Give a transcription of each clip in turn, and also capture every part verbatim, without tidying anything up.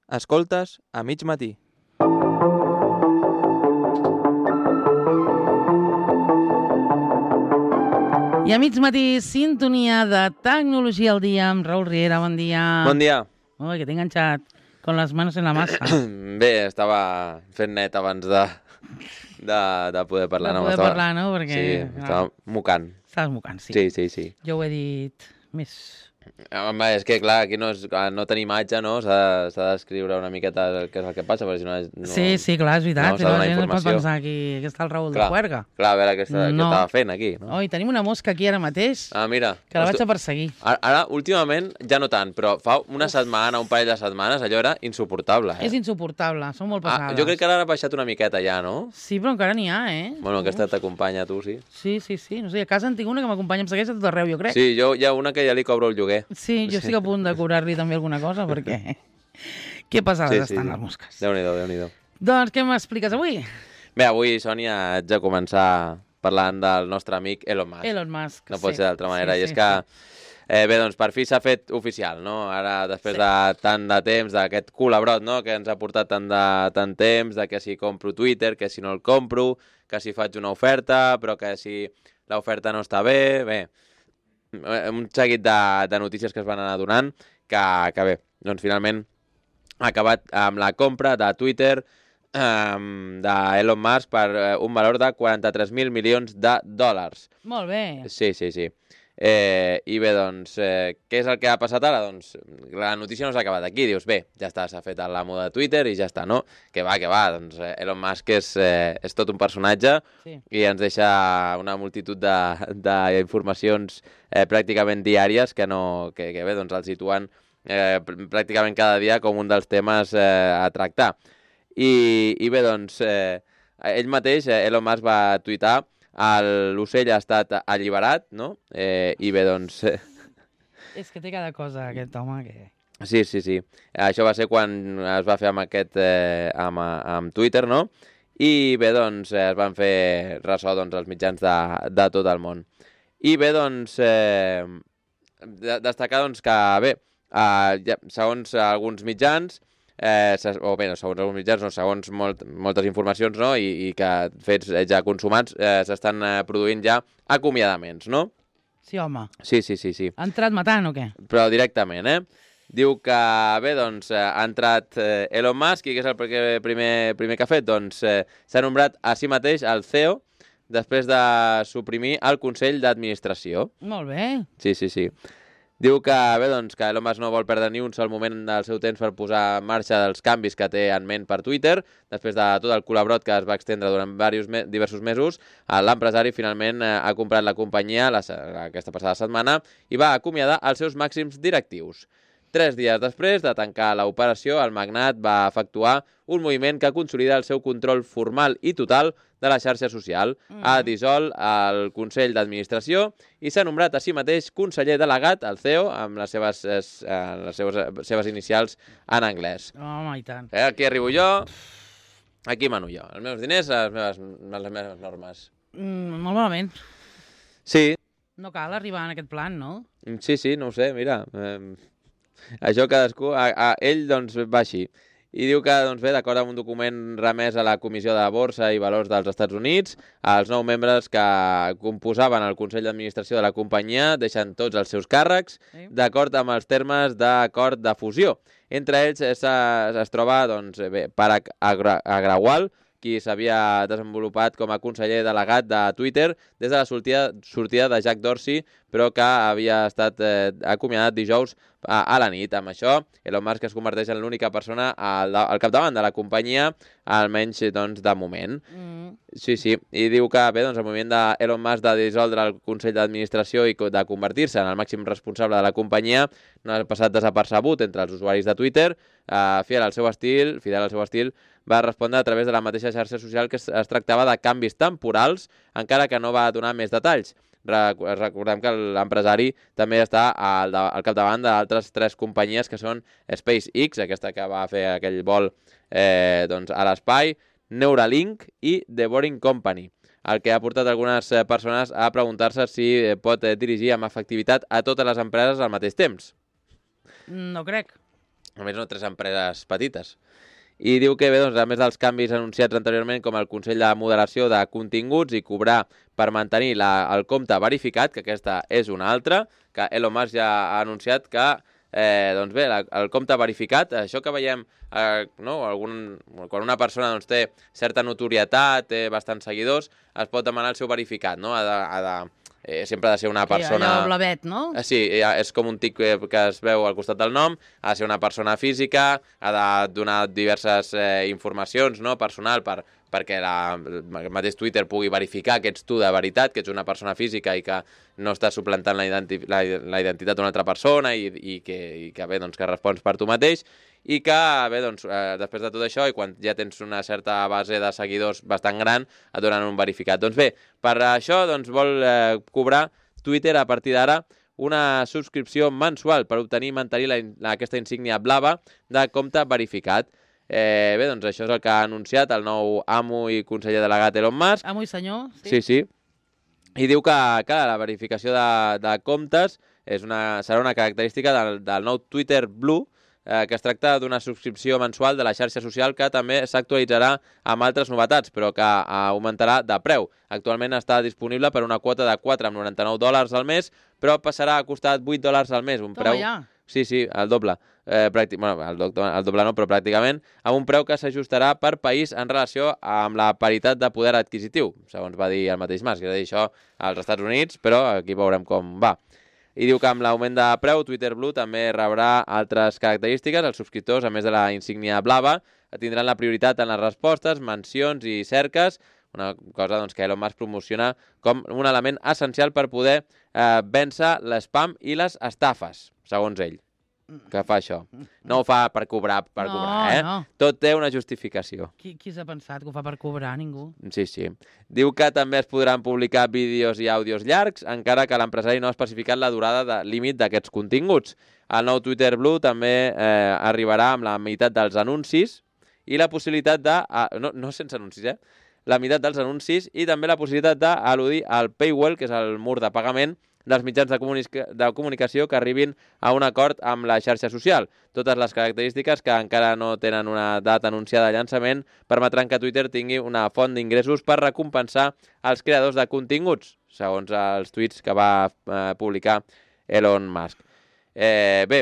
Escoltes a mig matí. I a mig matí, sintonia de Tecnologia al dia amb Raül Riera. Bon dia. Bon dia. Ui, que t'he enganxat con les manos en la massa. Bé, estava fent net abans de, de, de poder parlar. De no, poder estava... parlar, no? Perquè, sí, estava mocant. Estaves mocant, sí. Sí, sí, sí. Jo ho he dit més... Home, és que, clar, aquí no, és, no tenim imatge, no? S'ha de descriure una miqueta què és el que passa, perquè si no... no sí, sí, clar, és veritat. no, la gent pot pensar aquí que està el Raül clar, de Juerga. Clar, a veure què, està, no. què estava fent aquí. No? Oi, tenim una mosca aquí ara mateix ah, mira, que la vaig a perseguir. Ara, ara, últimament, ja no tant, però fa una Uf. setmana, un parell de setmanes, allò era insuportable. Eh? És insuportable, són molt pesades. Ah, jo crec que ara ha baixat una miqueta ja, no? Sí, però encara n'hi ha, eh? Bueno, aquesta t'acompanya tu, sí. Sí, sí, sí. No sé, a casa en tinc una que m'acompanya, em segueix a tot arreu, jo crec. Sí, jo hi ha una que ja li cobro el lloguer. Sí, jo estic a punt de cobrar-li també alguna cosa, perquè... Que pesades sí, estan sí. les mosques. Déu-n'hi-do, Déu-n'hi-do. Doncs què m'expliques avui? Bé, avui, Sònia, haig de començar parlant del nostre amic Elon Musk. Elon Musk, No pot sí. ser d'altra manera. Sí, I és sí, que, sí. eh, bé, doncs per fi s'ha fet oficial, no? Ara, després sí. de tant de temps, d'aquest culabrot, no?, que ens ha portat tant de tant temps, de que si compro Twitter, que si no el compro, que si faig una oferta, però que si l'oferta no està bé, bé, un seguit de, de notícies que es van anar donant, que, que bé, doncs finalment ha acabat amb la compra de Twitter um, d'Elon Musk per uh, un valor de quaranta-tres mil milions de dòlars. Molt bé. Sí, sí, sí. Eh, I bé, doncs, eh, què és el que ha passat ara? Doncs la notícia no s'ha acabat aquí. Dius, bé, ja està, s'ha fet l'amo de Twitter i ja està, no? Que va, que va, doncs eh, Elon Musk és, eh, és tot un personatge sí. i ens deixa una multitud d'informacions eh, pràcticament diàries que, no, que, que bé, doncs el situen Eh, pràcticament cada dia com un dels temes eh, a tractar. I, i bé, doncs, eh, ell mateix, eh, Elon Musk, va tuitar l'ocell ha estat alliberat, no? Eh, I bé, doncs... Eh... És que té cada cosa, aquest home, que... Sí, sí, sí. Això va ser quan es va fer amb aquest, eh, amb, amb Twitter, no? I bé, doncs, eh, es van fer ressò doncs, els mitjans de, de tot el món. I bé, doncs, eh, destacar doncs, que, bé, Uh, ja, segons alguns mitjans, eh, o bé, no, segons alguns mitjans, no, segons molt, moltes informacions, no, i, i que fets ja consumats, eh, s'estan eh, produint ja acomiadaments, no? Sí, home. Sí, sí, sí, sí. Ha entrat matant o què? Però directament, eh? Diu que, bé, doncs, eh, ha entrat eh, Elon Musk i què és el primer, primer que ha fet? Doncs eh, s'ha nombrat a si mateix el C E O després de suprimir el Consell d'Administració. Molt bé. Sí, sí, sí. Diu que, bé, doncs, que Elon Musk no vol perdre ni un sol moment del seu temps per posar en marxa dels canvis que té en ment per Twitter. Després de tot el colabrot que es va extendre durant diversos, me diversos mesos, l'empresari finalment eh, ha comprat la companyia la, aquesta passada setmana i va acomiadar els seus màxims directius. Tres dies després de tancar l'operació, el magnat va efectuar un moviment que consolida el seu control formal i total de la xarxa social. Mm. Ha dissolt el Consell d'Administració i s'ha nombrat a si mateix conseller delegat, el C E O, amb les seves, eh, les seves, seves inicials en anglès. Home, i tant. Eh, aquí arribo jo, aquí mano jo. Els meus diners, les meves, les meves normes. Mm, molt malament. Sí. No cal arribar en aquest plan, no? Sí, sí, no ho sé, mira... Eh... Això cadascú, a, a ell doncs va així. I diu que, doncs bé, d'acord amb un document remès a la Comissió de Borsa i Valors dels Estats Units, els nou membres que composaven el Consell d'Administració de la companyia deixen tots els seus càrrecs sí. d'acord amb els termes d'acord de fusió. Entre ells es, es troba, doncs, bé, Parag Agrawal, qui s'havia desenvolupat com a conseller delegat de Twitter des de la sortida, sortida de Jack Dorsey, però que havia estat eh, acomiadat dijous a, a la nit. Amb això, Elon Musk es converteix en l'única persona al, al capdavant de la companyia, almenys doncs, de moment. Mm. Sí, sí. I diu que bé, doncs, el moviment d'Elon Musk de dissoldre el Consell d'Administració i de convertir-se en el màxim responsable de la companyia no ha passat desapercebut entre els usuaris de Twitter. Eh, fidel al seu estil, fidel al seu estil, va respondre a través de la mateixa xarxa social que es, es tractava de canvis temporals, encara que no va donar més detalls. Recordem que l'empresari també està al, al capdavant d'altres tres companyies que són SpaceX, aquesta que va fer aquell vol eh, doncs, a l'espai, Neuralink i The Boring Company, el que ha portat algunes persones a preguntar-se si pot dirigir amb efectivitat a totes les empreses al mateix temps. No crec. A més, no tres empreses petites. I diu que, bé, doncs, a més dels canvis anunciats anteriorment, com el Consell de Moderació de Continguts i cobrar per mantenir la, el compte verificat, que aquesta és una altra, que Elon Musk ja ha anunciat que, eh, doncs bé, la, el compte verificat, això que veiem, eh, no, algun, quan una persona doncs, té certa notorietat, té bastants seguidors, es pot demanar el seu verificat, no? Ha de, ha de, eh, sempre ha de ser una persona... Sí, allò blavet, no? Sí, és com un tic que es veu al costat del nom, ha de ser una persona física, ha de donar diverses eh, informacions, no?, personal per, perquè la, el mateix Twitter pugui verificar que ets tu de veritat, que ets una persona física i que no estàs suplantant la, identi la, la identitat d'una altra persona i, i, que, i que, bé, doncs, que respons per tu mateix. I que, bé, doncs, eh, després de tot això, i quan ja tens una certa base de seguidors bastant gran, et donen un verificat. Doncs bé, per això doncs, vol eh, cobrar Twitter a partir d'ara una subscripció mensual per obtenir i mantenir la, la, aquesta insígnia blava de compte verificat. Eh, bé, doncs això és el que ha anunciat el nou amo i conseller delegat Elon Musk. Amo i senyor, sí. Sí, sí. I diu que, que la verificació de, de comptes és una, serà una característica del, del nou Twitter Blue, eh, que es tracta d'una subscripció mensual de la xarxa social que també s'actualitzarà amb altres novetats, però que augmentarà de preu. Actualment està disponible per una quota de quatre coma noranta-nou dòlars al mes, però passarà a costar vuit dòlars al mes, un Toma preu... ja. Sí, sí, el doble. Eh, pràctic... bueno, el, do... el doble no, però pràcticament, amb un preu que s'ajustarà per país en relació amb la paritat de poder adquisitiu, segons va dir el mateix Musk. És a dir, això als Estats Units, però aquí veurem com va. I diu que amb l'augment de preu, Twitter Blue també rebrà altres característiques. Els subscriptors, a més de la insígnia blava, tindran la prioritat en les respostes, mencions i cerques, una cosa doncs, que Elon Musk promociona com un element essencial per poder eh, vèncer l'espam i les estafes, segons ell, que fa això. No ho fa per cobrar, per no, cobrar, eh? No. Tot té una justificació. Qui, qui s'ha pensat que ho fa per cobrar? Ningú. Sí, sí. Diu que també es podran publicar vídeos i àudios llargs, encara que l'empresari no ha especificat la durada de límit d'aquests continguts. El nou Twitter Blue també eh, arribarà amb la meitat dels anuncis i la possibilitat de... Ah, no, no sense anuncis, eh? La meitat dels anuncis i també la possibilitat d'al·ludir al paywall, que és el mur de pagament dels mitjans de, comunica de comunicació que arribin a un acord amb la xarxa social. Totes les característiques que encara no tenen una data anunciada de llançament permetran que Twitter tingui una font d'ingressos per recompensar els creadors de continguts, segons els tuits que va eh, publicar Elon Musk. Eh, bé,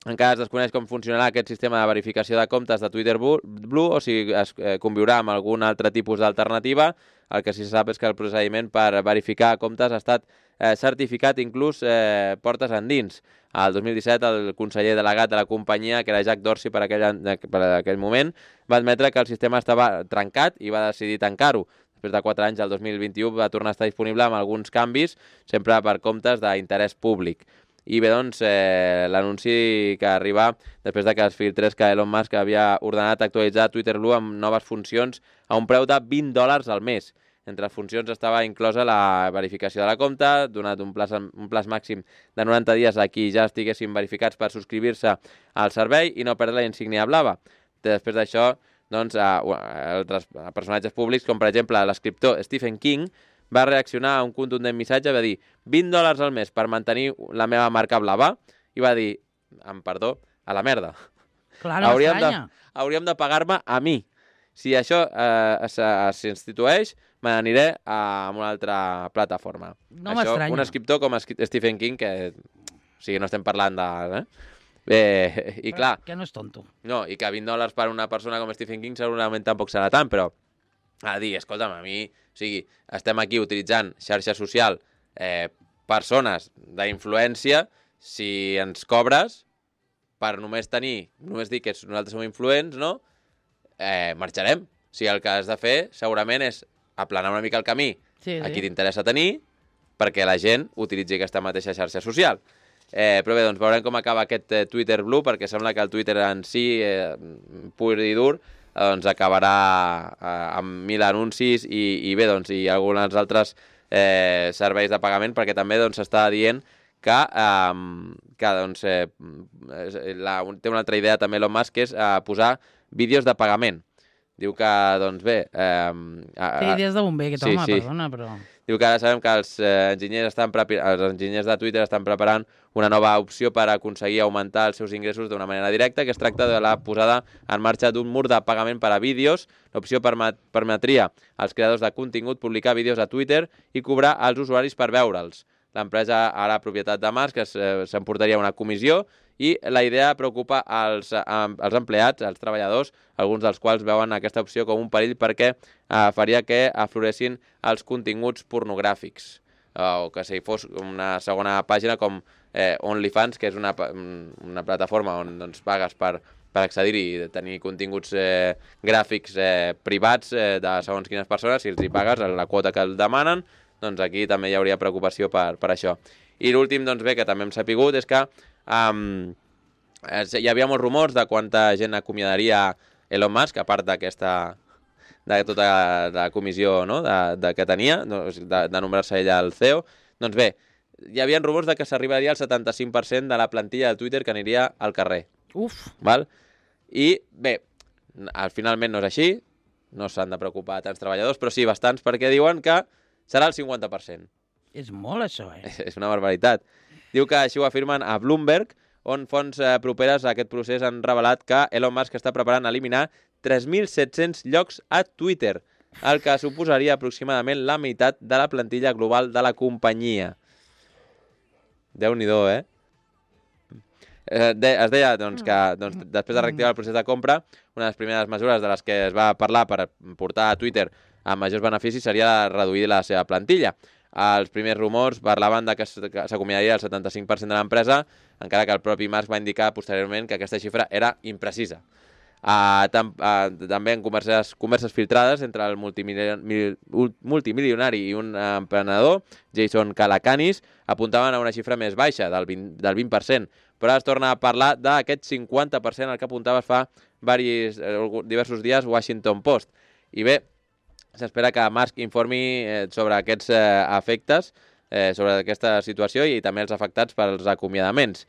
encara es desconeix com funcionarà aquest sistema de verificació de comptes de Twitter Blue o si es eh, conviurà amb algun altre tipus d'alternativa. El que sí se sap és que el procediment per verificar comptes ha estat eh, certificat inclús eh, portes endins. El dos mil disset el conseller delegat de la companyia, que era Jack Dorsey per aquell, per aquell moment, va admetre que el sistema estava trencat i va decidir tancar-ho. Després de quatre anys, el dos mil vint-i-u, va tornar a estar disponible amb alguns canvis, sempre per comptes d'interès públic. I bé, doncs, eh, l'anunci que arriba després de que es filtrés que Elon Musk havia ordenat actualitzar Twitter Blue amb noves funcions a un preu de vint dòlars al mes. Entre les funcions estava inclosa la verificació de la compta, donat un plaç, un plaç màxim de noranta dies a qui ja estiguessin verificats per subscriure-se al servei i no perdre la insígnia blava. Després d'això, doncs, altres personatges públics, com per exemple l'escriptor Stephen King, va reaccionar a un contundent missatge, va dir vint dòlars al mes per mantenir la meva marca blava, i va dir, amb perdó, a la merda. Clar, no hauríem, de, m'estranya. hauríem de pagar-me a mi. Si això eh, s'institueix, me n'aniré a una altra plataforma. No això, m'estranya. un escriptor com Stephen King, que o sigui, no estem parlant de... Eh? Eh, I clar... Que no és tonto. No, i que vint dòlars per una persona com Stephen King segurament tampoc serà tant, però a dir, escolta'm, a mi... O sigui, estem aquí utilitzant xarxa social, eh, persones d'influència, si ens cobres per només tenir, només dir que nosaltres som influents, no? Eh, marxarem. O sigui, el que has de fer segurament és aplanar una mica el camí Sí, a sí. qui t'interessa tenir perquè la gent utilitzi aquesta mateixa xarxa social. Eh, però bé, doncs veurem com acaba aquest eh, Twitter Blue, perquè sembla que el Twitter en si, eh, pur i dur, doncs acabarà eh, amb mil anuncis i, i bé, doncs, i alguns altres eh, serveis de pagament, perquè també doncs s'està dient que, eh, que doncs, eh, la, té una altra idea també Elon Musk, que és eh, posar vídeos de pagament. Diu que, doncs bé... Eh, Té idees de bomber, aquest sí, home, sí. perdona, però... Diu que ara sabem que els, eh, enginyers estan prepi- els enginyers de Twitter estan preparant una nova opció per aconseguir augmentar els seus ingressos d'una manera directa, que es tracta de la posada en marxa d'un mur de pagament per a vídeos. L'opció permet permetria als creadors de contingut publicar vídeos a Twitter i cobrar als usuaris per veure'ls. L'empresa, ara propietat de Musk, s'emportaria una comissió i la idea preocupa els, els empleats, els treballadors, alguns dels quals veuen aquesta opció com un perill perquè eh, faria que afloressin els continguts pornogràfics. O que si fos una segona pàgina com eh, OnlyFans, que és una, una plataforma on doncs, pagues per, per accedir-hi i tenir continguts eh, gràfics eh, privats eh, de segons quines persones, si els hi pagues la quota que el demanen, doncs aquí també hi hauria preocupació per, per això. I l'últim, doncs bé, que també hem sapigut, és que um, hi havia molts rumors de quanta gent acomiadaria Elon Musk, a part d'aquesta de tota la comissió, no?, de, de que tenia, de, de nombrar-se ella el C E O. Doncs bé, hi havia rumors de que s'arribaria al setanta-cinc per cent de la plantilla de Twitter que aniria al carrer. Uf! Val? I bé, finalment no és així, no s'han de preocupar tants treballadors, però sí bastants, perquè diuen que serà el cinquanta per cent. És molt, això, eh? És una barbaritat. Diu que així ho afirmen a Bloomberg, on fonts eh, properes a aquest procés han revelat que Elon Musk està preparant eliminar tres mil set-cents llocs a Twitter, el que suposaria aproximadament la meitat de la plantilla global de la companyia. Déu-n'hi-do, eh? eh de, es deia doncs, que doncs, després de reactivar el procés de compra, una de les primeres mesures de les que es va parlar per portar a Twitter a majors beneficis seria reduir la seva plantilla. Els primers rumors parlaven de que s'acomiadaria el setanta-cinc per cent de l'empresa, encara que el propi Musk va indicar posteriorment que aquesta xifra era imprecisa. Uh, tam, uh, també en converses, converses filtrades entre el multimilion, mil, multimilionari i un uh, emprenedor, Jason Calacanis, apuntaven a una xifra més baixa, del vint, del vint per cent, però es torna a parlar d'aquest cinquanta per cent al que apuntava fa varis, eh, diversos dies Washington Post. I bé, s'espera que Musk informi eh, sobre aquests eh, efectes, eh, sobre aquesta situació i també els afectats pels acomiadaments.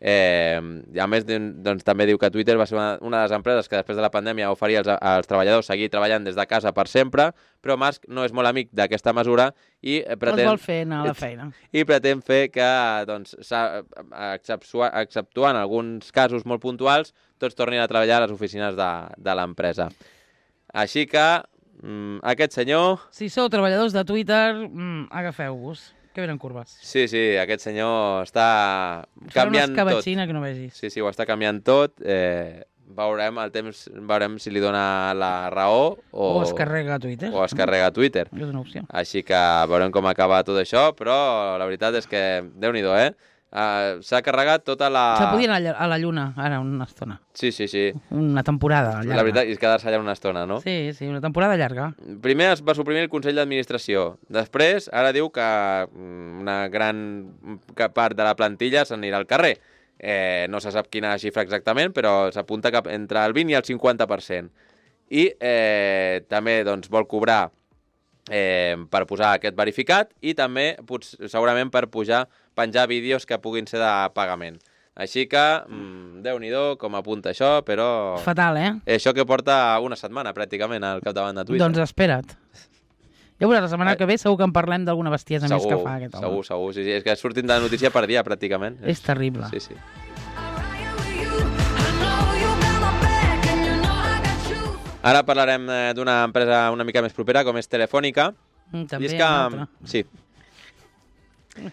Eh, a més, doncs, també diu que Twitter va ser una, una de les empreses que després de la pandèmia oferia als, als treballadors seguir treballant des de casa per sempre, però Musk no és molt amic d'aquesta mesura i pretén... Els vol fer anar a la feina. I pretén fer que, doncs, exceptuant alguns casos molt puntuals, tots tornin a treballar a les oficines de, de l'empresa. Així que, mm, aquest senyor... Si sou treballadors de Twitter, mm, agafeu-vos. Que venen curves. Sí, sí, aquest senyor està canviant tot. Farà una escabatxina que no vegis. Sí, sí, ho està canviant tot. Eh, veurem el temps, veurem si li dona la raó o... O es carrega a Twitter. O es carrega a Twitter. És una opció. Així que veurem com acaba tot això, però la veritat és que, Déu-n'hi-do, eh? Uh, s'ha carregat tota la... Se podia anar a la Lluna, ara, una estona. Sí, sí, sí. Una temporada llarga. La veritat és quedar-se allà una estona, no? Sí, sí, una temporada llarga. Primer es va suprimir el Consell d'Administració. Després, ara diu que una gran part de la plantilla s'anirà al carrer. Eh, no se sap quina xifra exactament, però s'apunta que entre el vint i el cinquanta per cent. I eh, també doncs, vol cobrar eh, per posar aquest verificat i també, potser, segurament, per pujar penjar vídeos que puguin ser de pagament. Així que, mmm, Déu-n'hi-do, com apunta això, però... Fatal, eh? Això que porta una setmana, pràcticament, al capdavant de Twitter. Doncs espera't. Ja veuràs, la setmana que ve segur que en parlem d'alguna bestiesa segur, més que fa aquest home. Segur, segur, sí, sí. És que surtin de notícia per dia, pràcticament. És terrible. Sí, sí. Ara parlarem d'una empresa una mica més propera, com és Telefònica. Mm, també I és que... una altra. Sí.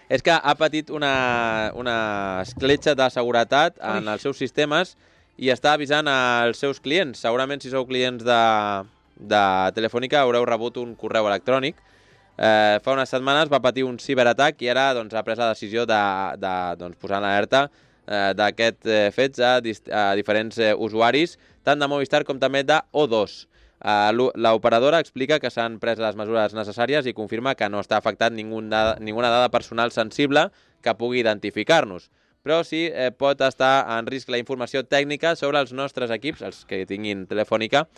És que ha patit una, una escletxa de seguretat en Ui. els seus sistemes i està avisant als seus clients. Segurament, si sou clients de, de Telefònica, haureu rebut un correu electrònic. Eh, fa unes setmanes va patir un ciberatac i ara doncs, ha pres la decisió de, de doncs, posar en alerta eh, d'aquests eh, fets a, a diferents eh, usuaris, tant de Movistar com també de O dos. Uh, l'operadora explica que s'han pres les mesures necessàries i confirma que no està afectat ningun dada, ninguna dada personal sensible que pugui identificar-nos. Però sí eh, pot estar en risc la informació tècnica sobre els nostres equips, els que tinguin Telefònica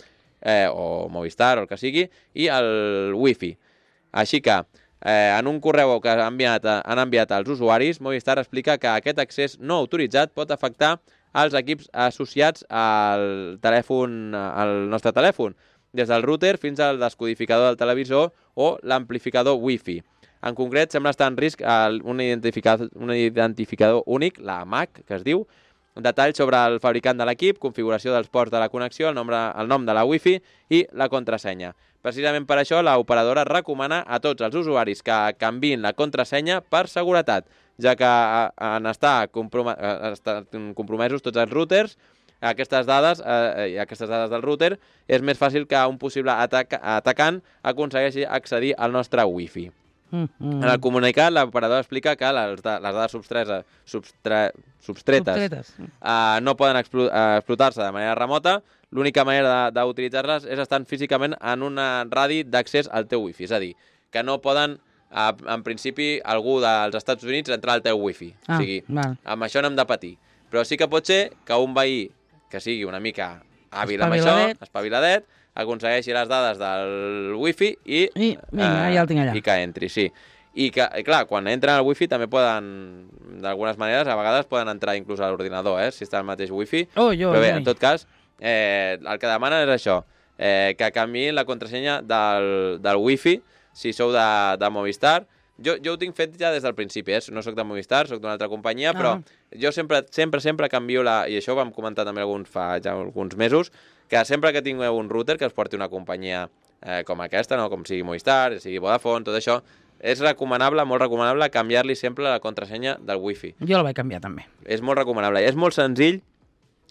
eh, o Movistar o el que sigui, i el Wi-Fi. Així que, eh, en un correu que han enviat, han enviat als usuaris, Movistar explica que aquest accés no autoritzat pot afectar als equips associats al telèfon, al nostre telèfon. des del router fins al descodificador del televisor o l'amplificador Wi-Fi. En concret, sembla estar en risc un identificador, un identificador únic, la M A C, que es diu, detalls sobre el fabricant de l'equip, configuració dels ports de la connexió, el, nombre, el nom de la Wi-Fi i la contrasenya. Precisament per això, l'operadora recomana a tots els usuaris que canviïn la contrasenya per seguretat, ja que en estar compromesos tots els routers, aquestes dades, eh, aquestes dades del router, és més fàcil que un possible atac, atacant aconsegueixi accedir al nostre Wi-Fi. Mm-hmm. En el comunicat, l'operador explica que les, les dades substretes, substre, substretes uh, no poden explo, uh, explotar-se de manera remota. L'única manera d'utilitzar-les és estar físicament en un radi d'accés al teu Wi-Fi. És a dir, que no poden, uh, en principi, algú dels Estats Units entrar al teu Wi-Fi. Ah, o sigui, val. Amb això no hem de patir. Però sí que pot ser que un veí que sigui una mica hàbil amb això, espaviladet, aconsegueixi les dades del Wi-Fi i, I, vinga, ja el tinc allà. I que entri, sí. I que, clar, quan entren al Wi-Fi també poden, d'algunes maneres, a vegades poden entrar inclús a l'ordinador, eh, si està al mateix Wi-Fi. Oh, jo, Però bé, jo. en tot cas, eh, el que demanen és això, eh, que canviïn la contrasenya del, del Wi-Fi, si sou de, de Movistar. Jo, jo ho tinc fet ja des del principi, eh? No soc de Movistar, soc d'una altra companyia, ah. però jo sempre, sempre, sempre canvio la... I això ho vam comentar també alguns, fa ja alguns mesos, que sempre que tingueu un router que us porti una companyia eh, com aquesta, no? Com sigui Movistar, sigui Vodafone, tot això, és recomanable, molt recomanable, canviar-li sempre la contrasenya del Wi-Fi. Jo la vaig canviar també. És molt recomanable. I és molt senzill,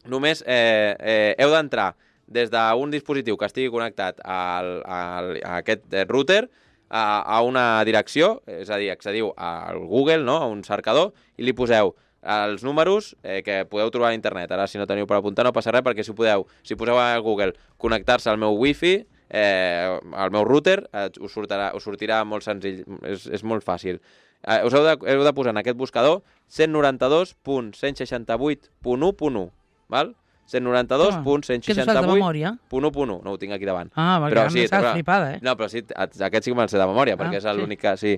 només eh, eh, heu d'entrar des d'un dispositiu que estigui connectat al, al, a aquest router a, a una direcció, és a dir, accediu al Google, no? A un cercador, i li poseu els números eh, que podeu trobar a internet. Ara, si no teniu per apuntar, no passa res, perquè si podeu, si poseu a Google connectar-se al meu Wi-Fi, eh, al meu router, eh, us, sortirà, us sortirà molt senzill, és, és molt fàcil. Eh, us heu de, heu de posar en aquest buscador cent noranta-dos punt cent seixanta-vuit punt u punt u, val? cent noranta-dos punt cent seixanta-vuit punt u punt u, no ho tinc aquí davant. Ah, perquè però, sí, m'estàs flipada, eh? No, però sí, aquest sí que me'l sé de memòria, perquè ah, és l'únic que, sí,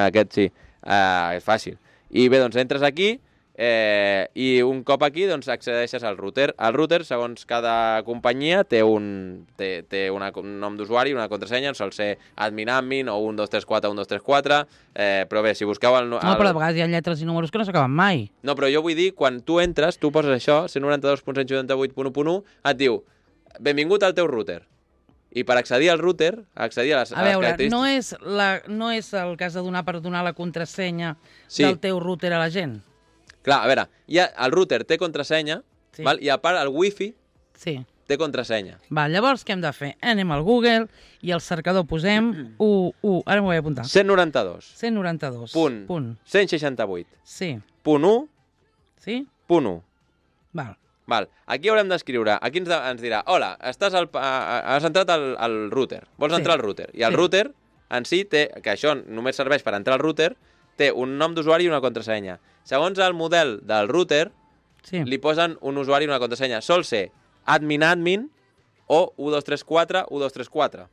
aquest sí, uh, és fàcil. I bé, doncs entres aquí, Eh, i un cop aquí doncs accedeixes al router. El router, segons cada companyia, té un, té, té una, un nom d'usuari, una contrasenya, sol ser admin admin o un dos tres quatre un dos tres quatre, eh, però bé, si busqueu el, el... No, però a vegades hi ha lletres i números que no s'acaben mai. No, però jo vull dir, quan tu entres, tu poses això, cent noranta-dos punt cent setanta-vuit punt u punt u, et diu, benvingut al teu router. I per accedir al router, accedir a les, a veure, a les característiques... no és, la, no és el cas de donar per donar la contrasenya sí. del teu router a la gent? Clar, a veure, ja el router té contrasenya, sí. val? I a part el Wi-Fi sí. té contrasenya. Va, llavors què hem de fer? Anem al Google i al cercador posem u, u, ara m'ho vaig apuntar. cent noranta-dos. cent noranta-dos. Punt. Punt. cent seixanta-vuit. Sí. Punt u. Sí. Punt u. Val. Val. Aquí haurem d'escriure, aquí ens, de, ens dirà, hola, estàs al, has entrat al, al router, vols sí. entrar al router. I el sí. router en si té, que això només serveix per entrar al router, té un nom d'usuari i una contrasenya. Segons el model del router, sí. li posen un usuari i una contrasenya. Sol ser admin admin o u dos tres quatre u dos tres quatre.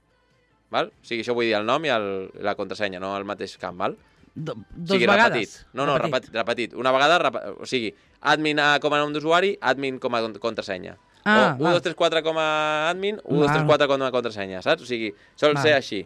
Val? O sigui, això vull dir el nom i el, la contrasenya, no el mateix camp, val? Do, dos o sigui, vegades? Repetit. No, no, repetit. repetit. Una vegada, rep... o sigui, admin com a nom d'usuari, admin com a contrasenya. Ah, o u dos tres quatre com a admin, u dos tres quatre com a contrasenya, saps? O sigui, sol val. ser així.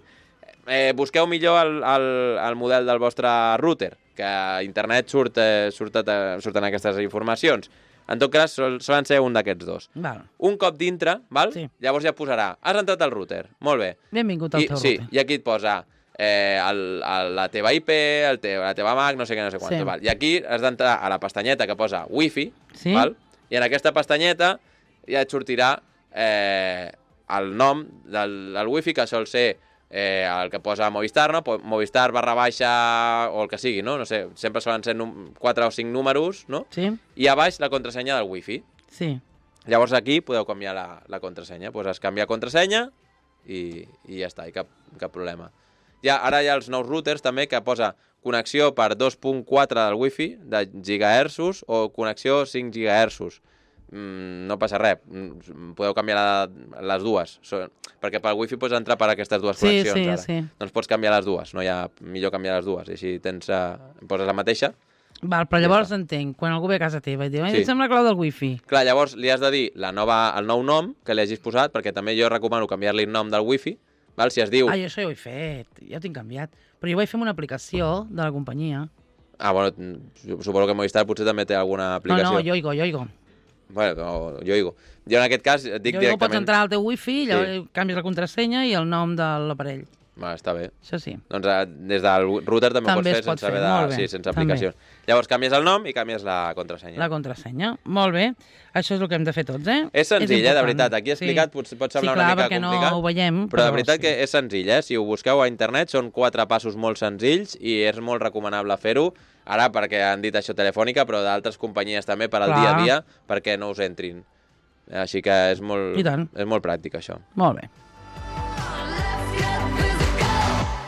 Eh, busqueu millor el, el, el model del vostre router, que a internet surt, eh, surt, eh, surten aquestes informacions. En tot cas, sol, solen ser un d'aquests dos. Val. Un cop dintre, val? Sí. Llavors ja posarà, has entrat al router, molt bé. Benvingut al I, teu sí, router. I aquí et posa eh, el, el, la teva I P, el te, la teva M A C, no sé què, no sé quant. Sí. Val? I aquí has d'entrar a la pestanyeta que posa Wi-Fi, sí. val? I en aquesta pestanyeta ja et sortirà eh, el nom del, del Wi-Fi, que sol ser Eh, el que posa Movistar, no? Movistar barra baixa o el que sigui, no? No sé, sempre solen ser quatre o cinc números, no? Sí. I a baix la contrasenya del Wi-Fi. Sí. Llavors aquí podeu canviar la, la contrasenya. Poses canviar contrasenya i, i ja està, i cap, cap problema. Ja, ara hi ha els nous routers també que posa connexió per dos punt quatre del Wi-Fi de gigahertzos o connexió cinc gigahertzos. Mm, no passa res, podeu canviar la, les dues, so, perquè pel Wi-Fi pots entrar per aquestes dues sí, connexions sí, ara. Sí. Doncs pots canviar les dues, no hi ha millor canviar les dues, i així tens, uh, poses la mateixa Val, però llavors entenc, quan algú ve a casa teva i diu, Sí. em sembla la clau del wifi. Clar, llavors li has de dir la nova, el nou nom que li hagis posat, perquè també jo recomano canviar-li el nom del wifi, val? Si es diu... Ah, jo això ja ho he fet, ja ho tinc canviat. Però jo ho vaig fer amb una aplicació de la companyia. Ah, bueno, suposo que Movistar potser també té alguna No, aplicació. no, Yoigo, Yoigo. Bueno, no, jo digo. Jo en aquest cas et dic Yoigo directament... pots entrar al teu wifi, llavors canvies la contrasenya i el nom de l'aparell. Va, està bé. Això sí. Doncs eh, des del router també, També ho es pots fer pot sense haver fer, de... molt bé. Sí, sense També. aplicació. Llavors canvies el nom i canvies la contrasenya. La contrasenya. Molt bé. Això és el que hem de fer tots, eh? És senzill, eh, de important. veritat. Aquí explicat pot, pot Sí, semblar clar, una mica perquè complicat. no ho veiem. Però de veritat sí. que és senzill, eh? Si ho busqueu a internet són quatre passos molt senzills i és molt recomanable fer-ho. Ara perquè han dit això telefònica, però d'altres companyies també per al Clar. dia a dia perquè no us entrin. Així que és molt, I tant. és molt pràctic, això. Molt bé.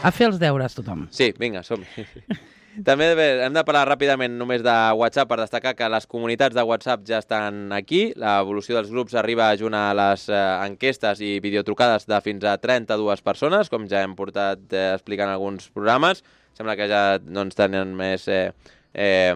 A fer els deures, tothom. Sí, vinga, som També bé, hem de parlar ràpidament només de WhatsApp per destacar que les comunitats de WhatsApp ja estan aquí. L'evolució dels grups arriba junt a les eh, enquestes i videotrucades de fins a trenta-dues persones, com ja hem portat eh, explicant alguns programes. Sembla que ja doncs, tenen més... Eh, eh,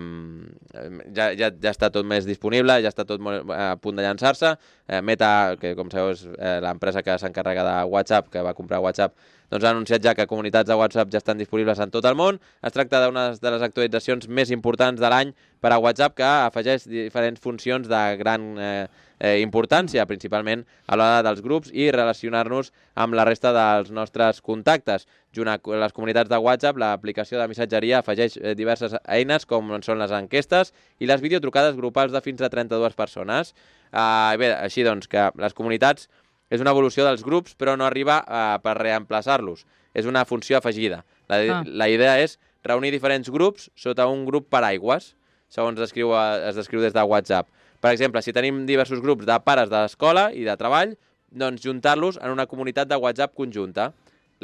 ja, ja, ja està tot més disponible, ja està tot molt a punt de llançar-se. Eh, Meta, que com sabeu és eh, l'empresa que s'encarrega de WhatsApp, que va comprar WhatsApp, doncs ha anunciat ja que comunitats de WhatsApp ja estan disponibles en tot el món. Es tracta d'una de les actualitzacions més importants de l'any per a WhatsApp, que afegeix diferents funcions de gran eh, eh, importància, principalment a l'hora dels grups i relacionar-nos amb la resta dels nostres contactes. Junt a les comunitats de WhatsApp, l'aplicació de missatgeria afegeix eh, diverses eines, com són les enquestes i les videotrucades grupals de fins a trenta-dues persones. Uh, bé, així doncs, que les comunitats és una evolució dels grups, però no arriba uh, per reemplaçar-los. És una funció afegida. La, ah. la idea és reunir diferents grups sota un grup paraigües, segons es descriu, es descriu des de WhatsApp. Per exemple, si tenim diversos grups de pares d'escola i de treball, doncs juntar-los en una comunitat de WhatsApp conjunta.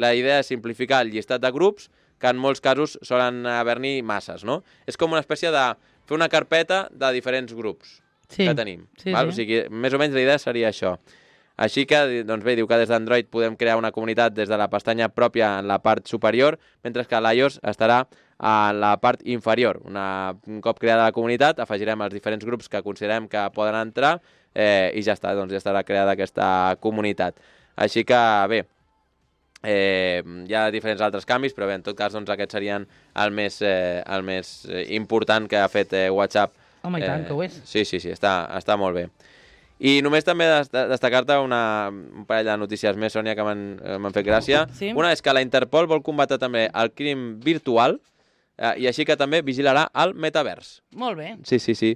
La idea és simplificar el llistat de grups, que en molts casos solen haver-n'hi masses, no? És com una espècie de fer una carpeta de diferents grups sí. que tenim. Sí, val? sí. O sigui, més o menys la idea seria això. Així que, doncs bé, diu que des d'Android podem crear una comunitat des de la pestanya pròpia en la part superior, mentre que l'iOS estarà en la part inferior. Una, un cop creada la comunitat, afegirem els diferents grups que considerem que poden entrar eh, i ja està, doncs ja estarà creada aquesta comunitat. Així que, bé, eh, hi ha diferents altres canvis, però bé, en tot cas, doncs aquests serien el més, eh, el més important que ha fet eh, WhatsApp. Home, i tant, eh, que ho és. Sí, sí, sí, està, està molt bé. I només també destacar-te una, un parell de notícies més, Sònia, que m'han fet gràcia. Sí. Una és que la Interpol vol combatre també el crim virtual eh, i així que també vigilarà el metavers. Molt bé. Sí, sí, sí.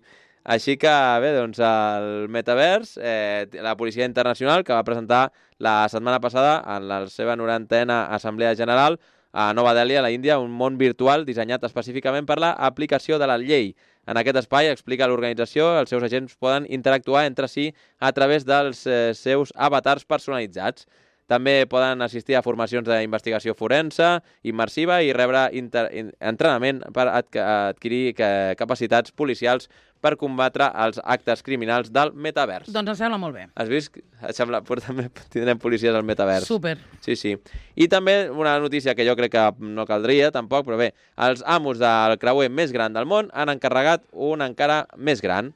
Així que, bé, doncs el metavers, eh, la Policia Internacional, que va presentar la setmana passada en la seva norantena Assemblea General a Nova Delhi, a la Índia, un món virtual dissenyat específicament per l'aplicació de la llei. En aquest espai, explica l'organització, els seus agents poden interactuar entre si a través dels eh, seus avatars personalitzats. També poden assistir a formacions d'investigació forense, immersiva i rebre inter... entrenament per adqu adquirir capacitats policials per combatre els actes criminals del metavers. Doncs em sembla molt bé. Has vist? Et sembla... També tindrem policies al metavers. Súper. Sí, sí. I també una notícia que jo crec que no caldria, tampoc, però bé, els amos del creuer més gran del món han encarregat un encara més gran,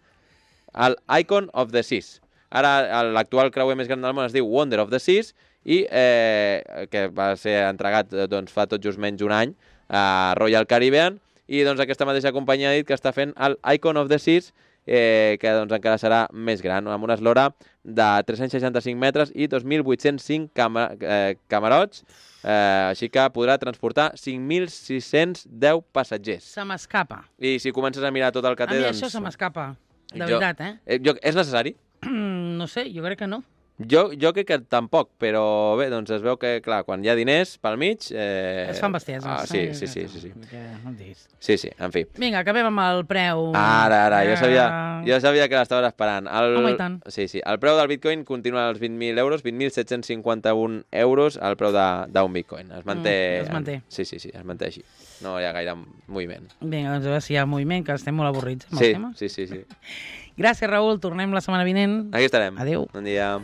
el Icon of the Seas. Ara l'actual creuer més gran del món es diu Wonder of the Seas i eh, que va ser entregat doncs, fa tot just menys un any a Royal Caribbean, i doncs aquesta mateixa companyia ha dit que està fent el Icon of the Seas, eh, que doncs encara serà més gran, amb una eslora de tres-cents seixanta-cinc metres i dos mil vuit-cents cinc cama eh, camarots, eh, així que podrà transportar cinc mil sis-cents deu passatgers. Se m'escapa. I si comences a mirar tot el que A té... mi doncs... això se m'escapa, de jo, veritat, eh? eh jo, és necessari? No sé, jo crec que no. Jo, jo crec que tampoc, però bé, doncs es veu que, clar, quan hi ha diners pel mig... Eh... Es fan bestieses. Ah, sí, sí, sí, sí, sí. No em diguis. Sí, sí, en fi. Vinga, acabem amb el preu. Ara, ara, jo sabia, jo sabia que l'estaves esperant. El... Home, i tant. Sí, sí. El preu del Bitcoin continua als vint mil euros, vint mil set-cents cinquanta-un euros el preu d'un Bitcoin. Es manté... Mm, es manté. Sí, sí, sí, es manté així. No hi ha gaire moviment. Vinga, doncs a veure si hi ha moviment, que estem molt avorrits amb Sí, els temes. sí, sí, sí. Gràcies, Raül. Tornem la setmana vinent. Aquí estarem. Adéu. Bon dia.